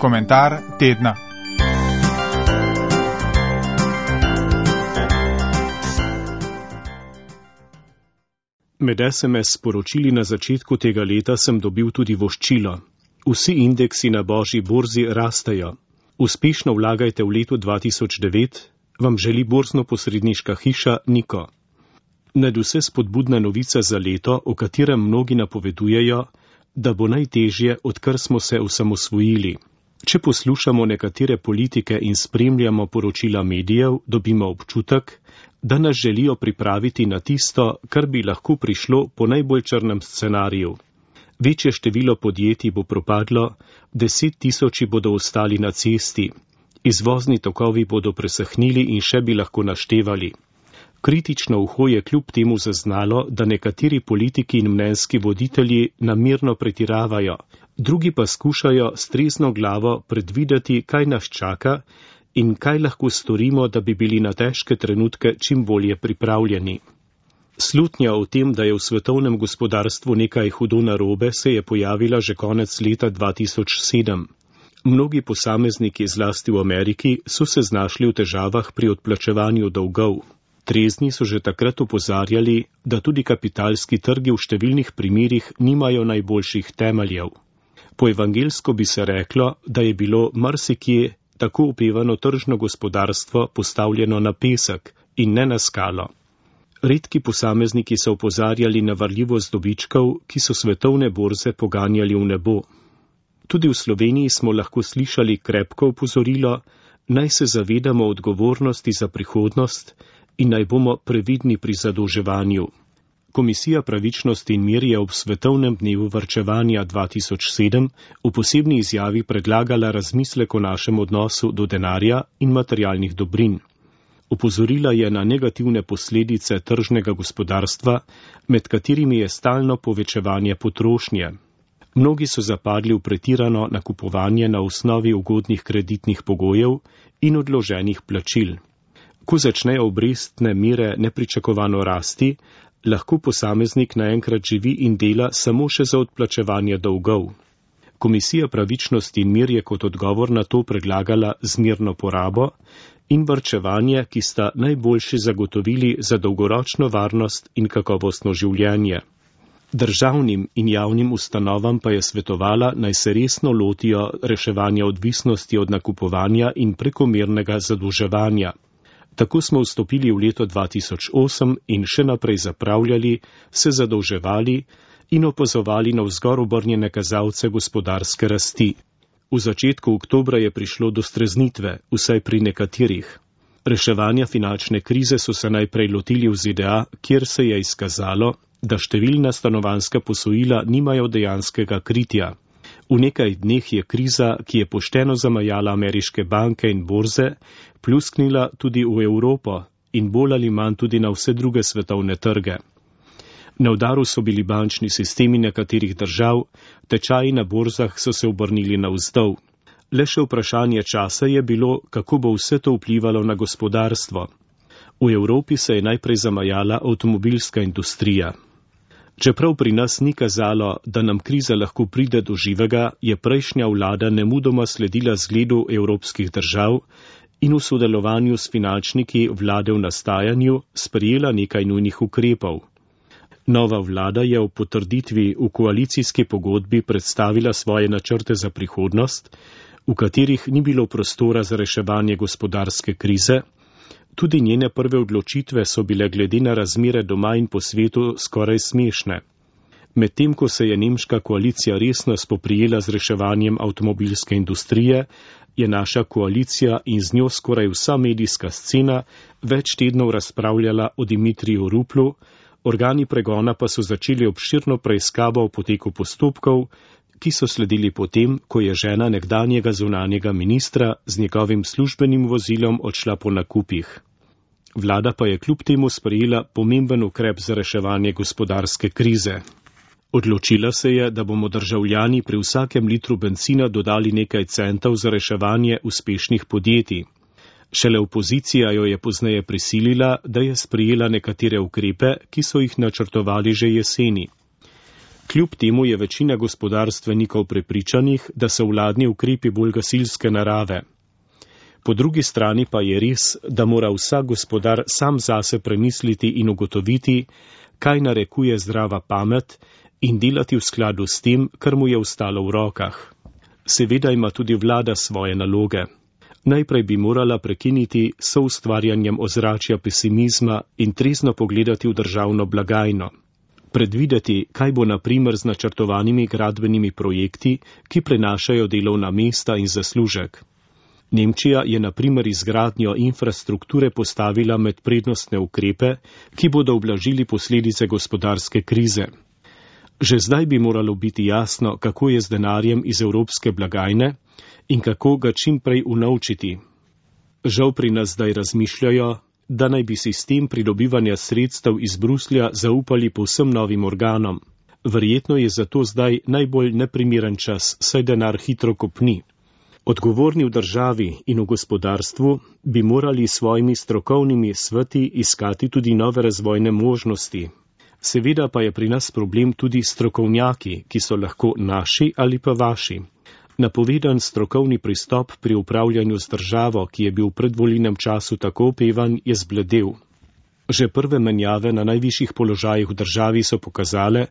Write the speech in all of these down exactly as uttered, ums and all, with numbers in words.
Komentar tedna. Med es em es sporočili na začetku tega leta sem dobil tudi voščilo. Vsi indeksi na božji borzi rastejo. Uspešno vlagajte v letu dva tisoč devet, vam želi borzno-posredniška hiša Niko. Nadvse spodbudna novica za leto, o katerem mnogi napovedujejo, da bo najtežje, odkar smo se osamosvojili. Če poslušamo nekatere politike in spremljamo poročila medijev, dobimo občutek, da nas želijo pripraviti na tisto, kar bi lahko prišlo po najbolj črnem scenariju. Večje število podjetij bo propadlo, deset tisoči bodo ostali na cesti, izvozni tokovi bodo presahnili in še bi lahko naštevali. Kritično uho je kljub temu zaznalo, da nekateri politiki in mnenjski voditelji namerno pretiravajo, drugi pa skušajo s trezno glavo predvideti, kaj nas čaka in kaj lahko storimo, da bi bili na težke trenutke čim bolje pripravljeni. Slutnja o tem, da je v svetovnem gospodarstvu nekaj hudo narobe, se je pojavila že konec leta dva tisoč sedem. Mnogi posamezniki, zlasti v Ameriki, so se znašli v težavah pri odplačevanju dolgov. Trezni so že takrat opozarjali, da tudi kapitalski trgi v številnih primerih nimajo najboljših temeljev. Po evangelsko bi se reklo, da je bilo marsikje tako opevano tržno gospodarstvo postavljeno na pesek in ne na skalo. Redki posamezniki so opozarjali na varljivost dobičkov, ki so svetovne borze poganjali v nebo. Tudi v Sloveniji smo lahko slišali krepko opozorilo, naj se zavedamo odgovornosti za prihodnost in naj bomo previdni pri zadolževanju. Komisija pravičnosti in mir je ob svetovnem dnevu varčevanja dva tisoč sedem v posebni izjavi predlagala razmislek o našem odnosu do denarja in materialnih dobrin. Opozorila je na negativne posledice tržnega gospodarstva, med katerimi je stalno povečevanje potrošnje. Mnogi so zapadli v pretirano nakupovanje na osnovi ugodnih kreditnih pogojev in odloženih plačil. Ko začnejo obrestne mere nepričakovano rasti, lahko posameznik naenkrat živi in dela samo še za odplačevanje dolgov. Komisija pravičnosti in mir je kot odgovor na to predlagala zmerno porabo in varčevanje, ki sta najboljši zagotovili za dolgoročno varnost in kakovostno življenje. Državnim in javnim ustanovam pa je svetovala, naj se resno lotijo reševanja odvisnosti od nakupovanja in prekomernega zadolževanja. Tako smo vstopili v leto dva tisoč osem in še naprej zapravljali, se zadolževali in opazovali navzgor obrnjene kazalce gospodarske rasti. V začetku oktobra je prišlo do streznitve, vsaj pri nekaterih. Reševanja finančne krize so se najprej lotili v Z D A, kjer se je izkazalo, da številna stanovanjska posojila nimajo dejanskega kritja. V nekaj dneh je kriza, ki je pošteno zamajala ameriške banke in borze, plusknila tudi v Evropo in bolj ali manj tudi na vse druge svetovne trge. Na udaru so bili bančni sistemi nekaterih držav, tečaji na borzah so se obrnili navzdol. Le še vprašanje časa je bilo, kako bo vse to vplivalo na gospodarstvo. V Evropi se je najprej zamajala avtomobilska industrija. Čeprav pri nas ni kazalo, da nam kriza lahko pride do živega, je prejšnja vlada nemudoma sledila zgledu evropskih držav in v sodelovanju s finančniki vlade v nastajanju sprejela nekaj nujnih ukrepov. Nova vlada je ob potrditvi v koalicijski pogodbi predstavila svoje načrte za prihodnost, v katerih ni bilo prostora za reševanje gospodarske krize. Tudi njene prve odločitve so bile glede na razmere doma in po svetu skoraj smešne. Medtem ko se je nemška koalicija resno spoprijela z reševanjem avtomobilske industrije, je naša koalicija in z njo skoraj vsa medijska scena več tednov razpravljala o Dimitriju Ruplu, organi pregona pa so začeli obširno preiskavo o poteku postopkov, ki so sledili potem, ko je žena nekdanjega zunanjega ministra z njegovim službenim vozilom odšla po nakupih. Vlada pa je kljub temu sprejela pomemben ukrep za reševanje gospodarske krize. Odločila se je, da bomo državljani pri vsakem litru bencina dodali nekaj centov za reševanje uspešnih podjetij. Šele opozicija jo je pozneje prisilila, da je sprejela nekatere ukrepe, ki so jih načrtovali že jeseni. Kljub temu je večina gospodarstvenikov prepričanih, da so vladni ukrepi bolj gasilske narave. Po drugi strani pa je res, da mora vsak gospodar sam zase premisliti in ugotoviti, kaj narekuje zdrava pamet in delati v skladu s tem, kar mu je ostalo v rokah. Seveda ima tudi vlada svoje naloge. Najprej bi morala prekiniti s soustvarjanjem ozračja pesimizma in trezno pogledati v državno blagajno. Predvideti, kaj bo na primer z načrtovanimi gradbenimi projekti, ki prenašajo delovna mesta in zaslužek. Nemčija je na primer izgradnjo infrastrukture postavila med prednostne ukrepe, ki bodo ublažili posledice gospodarske krize. Že zdaj bi moralo biti jasno, kako je z denarjem iz evropske blagajne in kako ga čim prej unovčiti. Žal pri nas zdaj razmišljajo, da naj bi sistem pridobivanja sredstev iz Bruslja zaupali povsem novim organom. Verjetno je zato zdaj najbolj neprimeren čas, saj denar hitro kopni. Odgovorni v državi in v gospodarstvu bi morali s svojimi strokovnimi sveti iskati tudi nove razvojne možnosti. Seveda pa je pri nas problem tudi strokovnjaki, ki so lahko naši ali pa vaši. Napovedan strokovni pristop pri upravljanju z državo, ki je bil v predvolilnem času tako opevan, je zbledel. Že prve menjave na najvišjih položajih v državi so pokazale,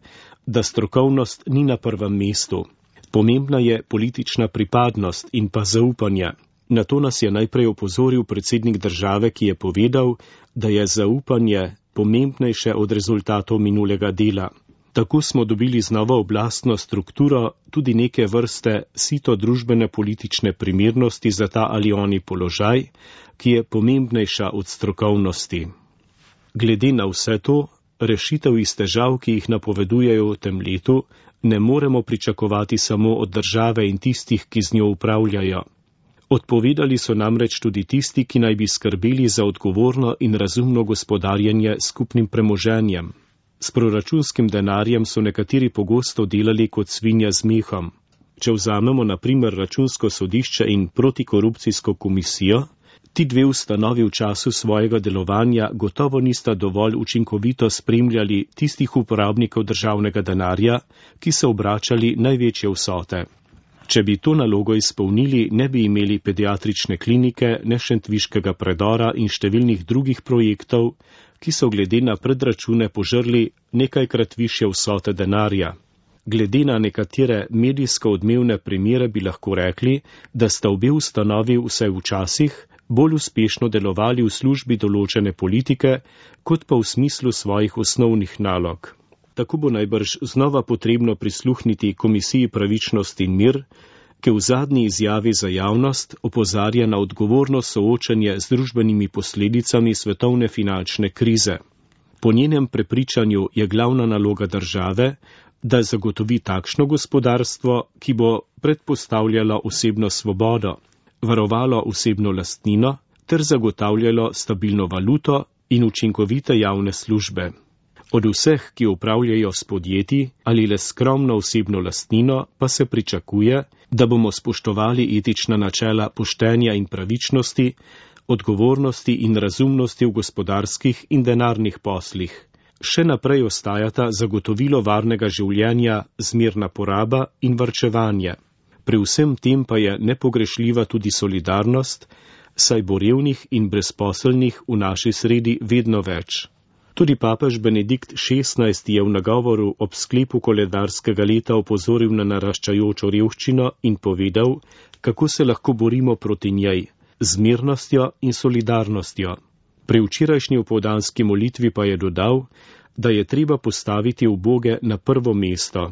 da strokovnost ni na prvem mestu. Pomembna je politična pripadnost in pa zaupanje. Na to nas je najprej opozoril predsednik države, ki je povedal, da je zaupanje pomembnejše od rezultatov minulega dela. Tako smo dobili z novo oblastno strukturo tudi neke vrste sito družbene politične primernosti za ta ali oni položaj, ki je pomembnejša od strokovnosti. Glede na vse to, rešitev iz težav, ki jih napovedujejo v tem letu, ne moremo pričakovati samo od države in tistih, ki z njo upravljajo. Odpovedali so namreč tudi tisti, ki naj bi skrbeli za odgovorno in razumno gospodarjenje skupnim premoženjem. S proračunskim denarjem so nekateri pogosto delali kot svinja z mehom. Če vzamemo na primer Računsko sodišče in protikorupcijsko komisijo, ti dve ustanovi v času svojega delovanja gotovo nista dovolj učinkovito spremljali tistih uporabnikov državnega denarja, ki so obračali največje vsote. Če bi to nalogo izpolnili, ne bi imeli pediatrične klinike, ne šentviškega predora in številnih drugih projektov, ki so glede na predračune požrli nekajkrat višje vsote denarja. Glede na nekatere medijsko odmevne primere bi lahko rekli, da sta obe ustanovi vsaj včasih bolj uspešno delovali v službi določene politike, kot pa v smislu svojih osnovnih nalog. Tako bo najbrž znova potrebno prisluhniti Komisiji pravičnost in mir, ki v zadnji izjavi za javnost opozarja na odgovorno soočanje z družbenimi posledicami svetovne finančne krize. Po njenem prepričanju je glavna naloga države, da zagotovi takšno gospodarstvo, ki bo predpostavljalo osebno svobodo, varovalo osebno lastnino ter zagotavljalo stabilno valuto in učinkovite javne službe. Od vseh, ki upravljajo s podjetji ali le skromno osebno lastnino, pa se pričakuje, da bomo spoštovali etična načela poštenja in pravičnosti, odgovornosti in razumnosti v gospodarskih in denarnih poslih. Še naprej ostajata zagotovilo varnega življenja, zmerna poraba in varčevanje. Pri vsem tem pa je nepogrešljiva tudi solidarnost, saj bo revnih in brezposelnih v naši sredi vedno več. Tudi papež Benedikt šestnajsti je v nagovoru ob sklepu koledarskega leta opozoril na naraščajočo revščino in povedal, kako se lahko borimo proti njej, z mirnostjo in solidarnostjo. Pri včerajšnji opoldanski molitvi pa je dodal, da je treba postaviti uboge na prvo mesto.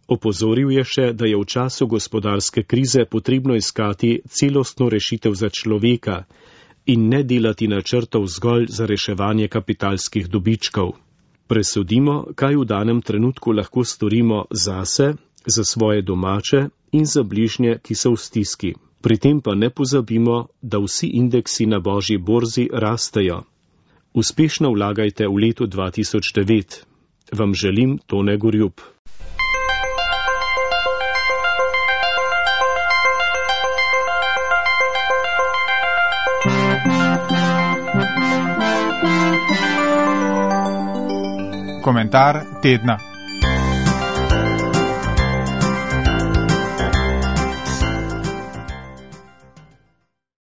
Opozoril je še, da je v času gospodarske krize potrebno iskati celostno rešitev za človeka in ne delati načrtov zgolj za reševanje kapitalskih dobičkov. Presodimo, kaj v danem trenutku lahko storimo zase, za svoje domače in za bližnje, ki so v stiski. Pri tem pa ne pozabimo, da vsi indeksi na božji borzi rastejo. Uspešno vlagajte v letu dva tisoč devet. Vam želim Tone Gorjup. Komentar tedna.